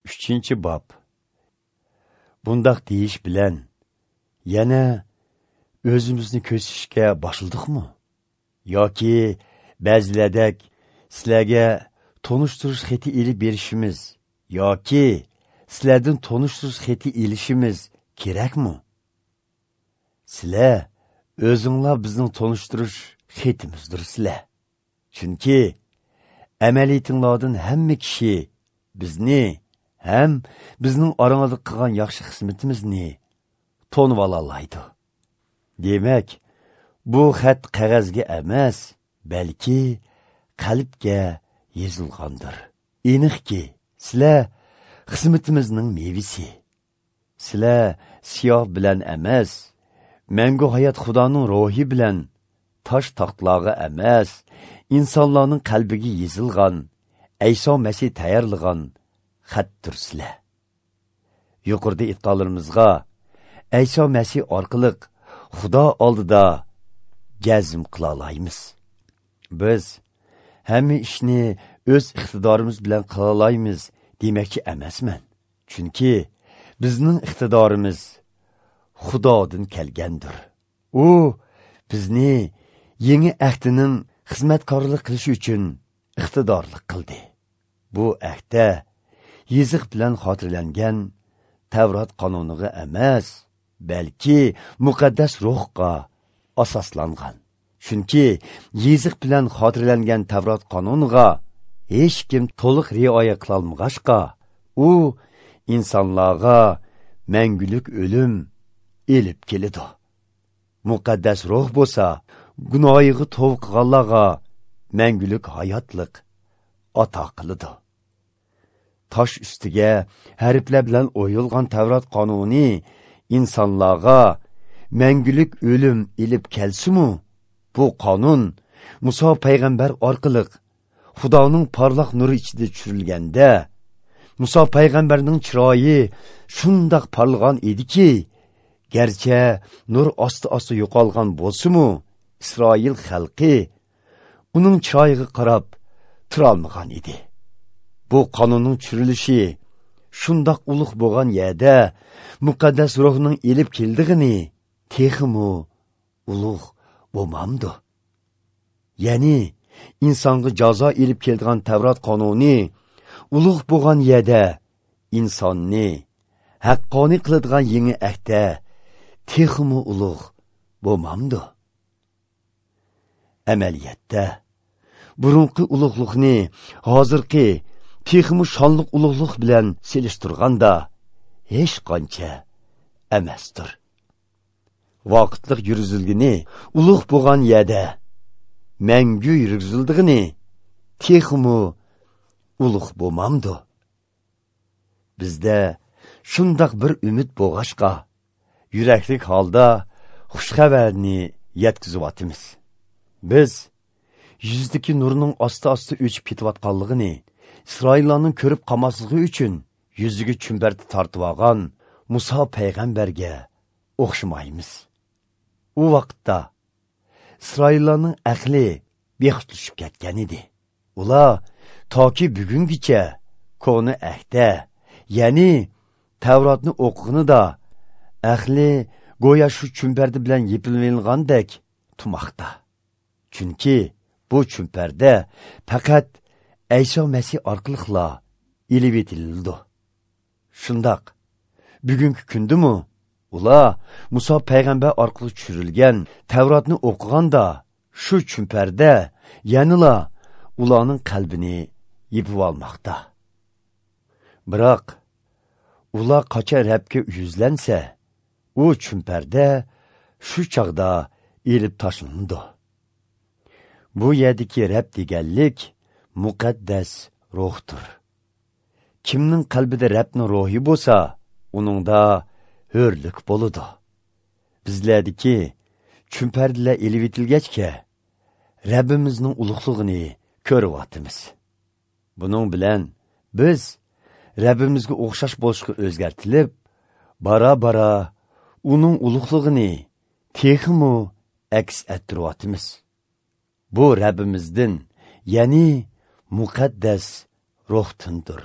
3-bob. Bundaq deyish bilan yana o'zimizni ko'rsatishga boshladikmi? Yoki ba'zilardek sizlarga tonishtirish xati elib berishimiz yoki sizlardan tonishtirish xati elishimiz kerakmi? Sizlar o'zinglar bizning tonishtirish xatimizdir sizlar. Chunki amaliyatinglardan hamma kishi bizni ham bizning orangizda qilgan yaxshi xizmatimizni tonib olalaydi. Demak, bu xat qog'ozga emas, balki qalbga yozilgandir. Aniqki, sizlar xizmatimizning mevasi. Sizlar siyoh bilan emas, mangu hayot Xudoning ruhi bilan tosh taxtlarga emas, insonlarning qalbiga yozilgan, Ayso Masih tayyorlagan xatdir sizlar. Yuqorida aytganlarimizga Ayso Masih orqali Xudo oldida jazm qila olamiz. Biz hamma ishni o'z iqtidorimiz bilan qila olamiz demakchi emasman. Chunki bizning iqtidorimiz Xudodan kelgandir. U bizni yangi ahdining xizmatkorlik qilishi uchun iqtidorli qildi. Bu ahdda yiziq bilan xotirlangan Tavrat qonuniga emas, balki muqaddas ruhga asoslangan. Chunki yiziq bilan xotirlangan Tavrat qonuniga hech kim to'liq rioya qilolmag'achqa, u insonlarga mangulik o'lim elib keladi. Muqaddas ruh bo'lsa, gunohiga tavba qilganlarga mangulik hayotlik ato qiladi. Tosh ustiga harflar bilan o'yilgan Tavrat qonuni insonlarga mangulik o'lim elib kelsa-mu, bu qonun Muso payg'ambar orqali Xudoning porloq nuri ichida tushirilganda, Muso payg'ambarning chiroyi shundoq porlagan ediki, garchi nur osti-osti yo'qolgan bo'lsa-mu, Isroil xalqi uning chiroyiga qarab turolmagan edi. Bu qonunning tushirilishi shundoq ulug' bo'lgan yerda muqaddas ruhning elib keldig'ini texmi ulug' bo'lmamdi. Ya'ni insonga jazo elib keldigan Tavrat qonuni ulug' bo'lgan yerda insonni haqqoniy qiladigan yangi ahdda texmi ulug' bo'lmamdi. Amaliyotda burunqi ulug'liqni hozirgi texmi shonliq ulug'liq bilan selishtirganda hech qancha emasdir. Vaqtliq yurgizilgini ulug' bo'lgan yerda mangu yurgizildig'ini texmi ulug' bo'lmamdi. Bizda shundoq bir umid bo'g'ashqa yuraklik holda xush xabarni yetkazyapmiz. Biz yuzdagi nurning asta-asta o'chib ketayotganligini Isroillarning ko'rib qolmasligi uchun yuziga chumbarni tortib olgan Muso payg'ambarga o'xshamaymiz. U vaqtda Isroillarning aqli bexutlashib ketgan edi. Ular toki bugungacha koni ahda, ya'ni Tavrotni o'qiganida aqli go'yo shu chumparda bilan yepilgandek tumoqda. Chunki bu chumparda faqat Ayso Masih orqali elib etildi. Shundoq bugungi kundimi ular Muso payg'ambar orqali tushirilgan Tavrotni o'qiganda shu chumparda yanila ularning qalbini yepib olmoqda. Biroq ular qachon Rabga yuzlansa, u chumparda shu chog'da elib tashlandi. Bu yerdagi Rab deganlik muqaddas ruhdir. Kimning qalbida Rabning ruhi bo'lsa, uningda hurlik bo'ladi. Bizlardagi chumpardalar elib etilgachga Rabbimizning ulug'lig'ini ko'ryapmiz. Buning bilan biz Rabbimizga o'xshash bo'lishga o'zgartilib, bara-bara uning ulug'lig'ini texmi aks ettiryapmiz. Bu Rabbimizdan, ya'ni muqaddas ruhdandir.